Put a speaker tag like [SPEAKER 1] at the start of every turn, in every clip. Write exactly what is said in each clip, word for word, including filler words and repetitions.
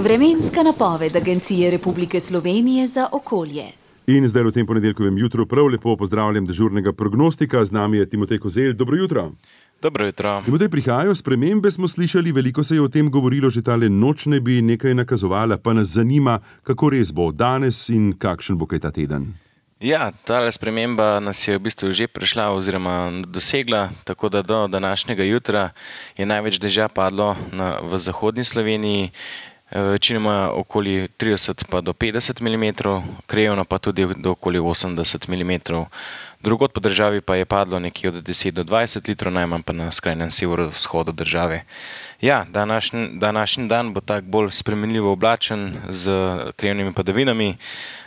[SPEAKER 1] Vremenska napoved Agencije Republike Slovenije za okolje.
[SPEAKER 2] In zdaj v tem ponedeljkovem jutru prav lepo pozdravljam dežurnega prognostika. Z nami je Timotej Kozelj. Dobro jutro.
[SPEAKER 3] Dobro jutro.
[SPEAKER 2] Timotej, prihajajo spremembe, smo slišali, veliko se je o tem govorilo, že tale noč ne bi nekaj nakazovala, pa nas zanima, kako res bo danes in kakšen bo kaj ta teden.
[SPEAKER 3] Ja, tale sprememba nas je v bistvu že prišla oziroma dosegla, tako da do današnjega jutra je največ dežja padlo na, v zahodni Sloveniji, večinoma okoli trideset pa do petdeset milimetrov, krajevno pa tudi do okoli osemdeset milimetrov. Drugod po državi pa je padlo nekje od deset do dvajset litrov, najmanj pa na skrajnem severovzhodu države. Ja, današnji, današnji dan bo tak bolj spremenljivo oblačen z krajevnimi padavinami,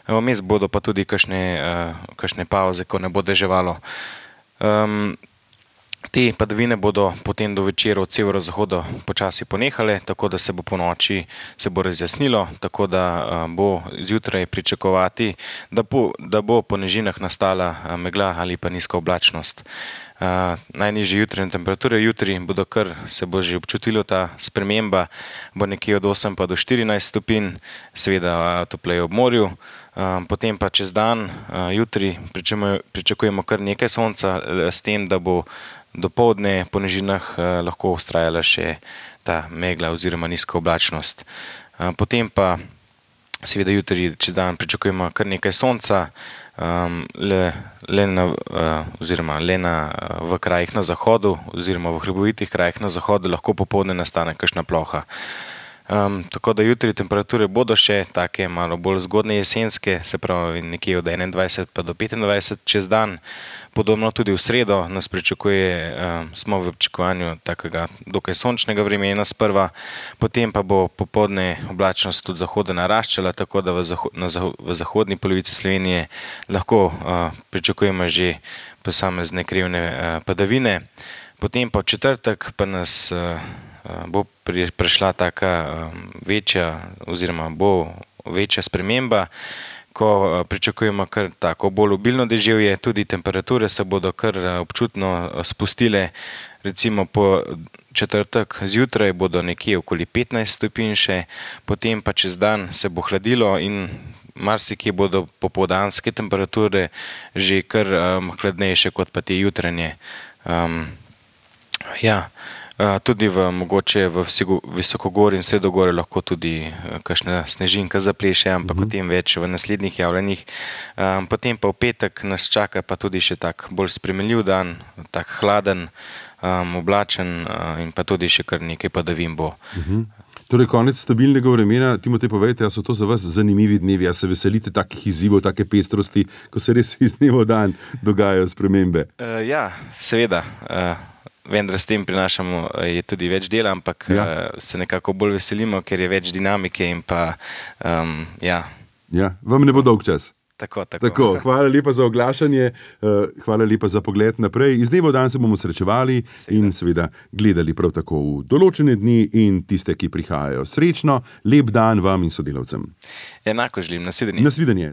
[SPEAKER 3] vmes bodo pa tudi kakšne, uh, kakšne pauze, ko ne bo deževalo. Um, Te padavine bodo potem do večera od severozahoda počasi ponehale, tako da se bo po noči se bo razjasnilo, tako da bo zjutraj pričakovati, da bo, da bo po nižinah nastala megla ali pa nizka oblačnost. Uh, najnižje jutranje temperature jutri bodo kar, se bo že občutilo ta sprememba, bo nekje od osem pa do štirinajst stopinj, seveda topleje ob morju. Uh, potem pa čez dan, uh, jutri pričakujemo, pričakujemo kar nekaj sonca, s tem, da bo dopoldne po nižinah eh, lahko vztrajala še ta megla oziroma nizka oblačnost. Eh, potem pa seveda jutri čez dan pričakujemo kar nekaj sonca, um, le, le, na, uh, oziroma le na, v krajih na zahodu oziroma v hribovitih krajih na zahodu lahko popoldne nastane kakšna ploha. Um, tako da jutri temperature bodo še take malo bolj zgodne jesenske, se pravi nekje od enaindvajset pa do petindvajset čez dan. Podobno tudi v sredo nas pričakuje, um, smo v pričakovanju takega dokaj sončnega vremena sprva, potem pa bo popoldne oblačnost od zahoda naraščala, tako da v, zaho na zaho v zahodni polovici Slovenije lahko uh, pričakujemo že posamezne krajevne uh, padavine. Potem pa v četrtek pa nas uh, bo prišla taka um, večja oziroma bo večja sprememba, ko uh, pričakujemo kar tako bolj obilno deževje, tudi temperature se bodo kar uh, občutno spustile, recimo po četrtek zjutraj bodo nekje okoli petnajst stopinj še, potem pa čez dan se bo hladilo in marsikje bodo popoldanske temperature že kar um, hladnejše kot pa te jutranje. Um, ja. Uh, tudi v, mogoče v visokogorju in sredogorju lahko tudi uh, kakšna snežinka zapleše, ampak uh-huh. o tem več v naslednjih javljanjih. Um, potem pa v petek nas čaka pa tudi še tak bolj spremenljiv dan, tak hladen, um, oblačen uh, in pa tudi še kar nekaj padavin bo.
[SPEAKER 2] Uh-huh. Torej, konec stabilnega vremena. Timotej, povejte, a so to za vas zanimivi dnevi, a se veselite takih izzivov, take pestrosti, ko se res iz dneva v dan dogajajo spremembe?
[SPEAKER 3] Uh, ja, seveda. Uh, Vendar s tem prinašamo je tudi več dela, ampak ja. uh, se nekako bolj veselimo, ker je več dinamike in pa, um, ja.
[SPEAKER 2] Ja, vam ne bo dolg čas.
[SPEAKER 3] Tako, tako.
[SPEAKER 2] Tako, hvala lepa za oglašanje, uh, hvala lepa za pogled naprej. Iz dneva v dan se bomo srečevali seveda. In seveda gledali prav tako v določene dni in tiste, ki prihajajo. Srečno, lep dan vam in sodelavcem.
[SPEAKER 3] Enako želim, nasvidenje.
[SPEAKER 2] Nasvidenje.